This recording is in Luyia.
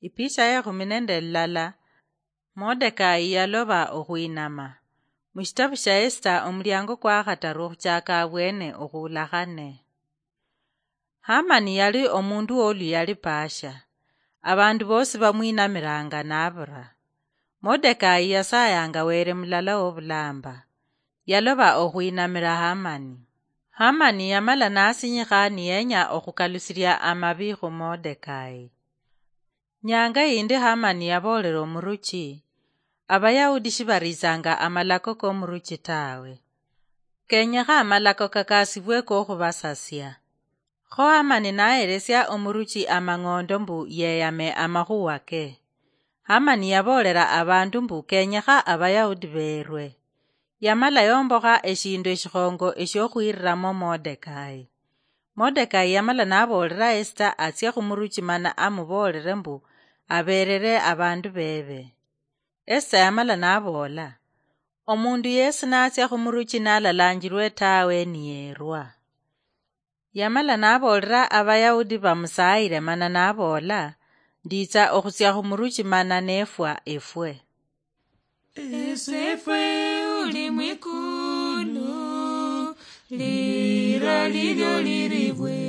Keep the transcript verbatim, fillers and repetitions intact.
Ipicha yekhumi nende lilala. Modekai yaloba okhwinama. Mushitabu shia Esita, omuliango kwa khataru okhuchaka abwene okhulakhane. Hamani yali omundu woluyali paasha. Abandu bosi bamwinamiranga nabura. Modekai yasayanga Wele mulala wobulamba. Yaloba okhwinamira Hamani. Hamani yamala nasinyikha niyenya okhukalusilia amabi khu Modekai. Nyanga yindi Hamani yaboolera omuruchi, Abayahudi shibaritsanga amalako komuruchi tawe. Kenyekha amalako kakasibwe kokhubasasia. Kho Hamani naheresia omuruchi amang'ondo mbu yeyame amakhuwa ke. Hamani yaboolera abandu mbu kenyekha Abayahudi beerwe. Yamala yombokha eshindu eshikhongo eshiokhwiriramo Modekai. Modekai yamala naboolera Esita atsie khumuruchi mana amuboolere mbu abeerere abandu bebe. Esita yamala naboola, "Omundu yesi natsia khumuruchi nalalanjirwe tawe niyerwa." Yamala naboolera Abayahudi bamusaayire mana naboola, "Nditsa okhutsia khumuruchi mana nefwa efwe." Esefwe uli mwikulu, lira lilyo liribwe.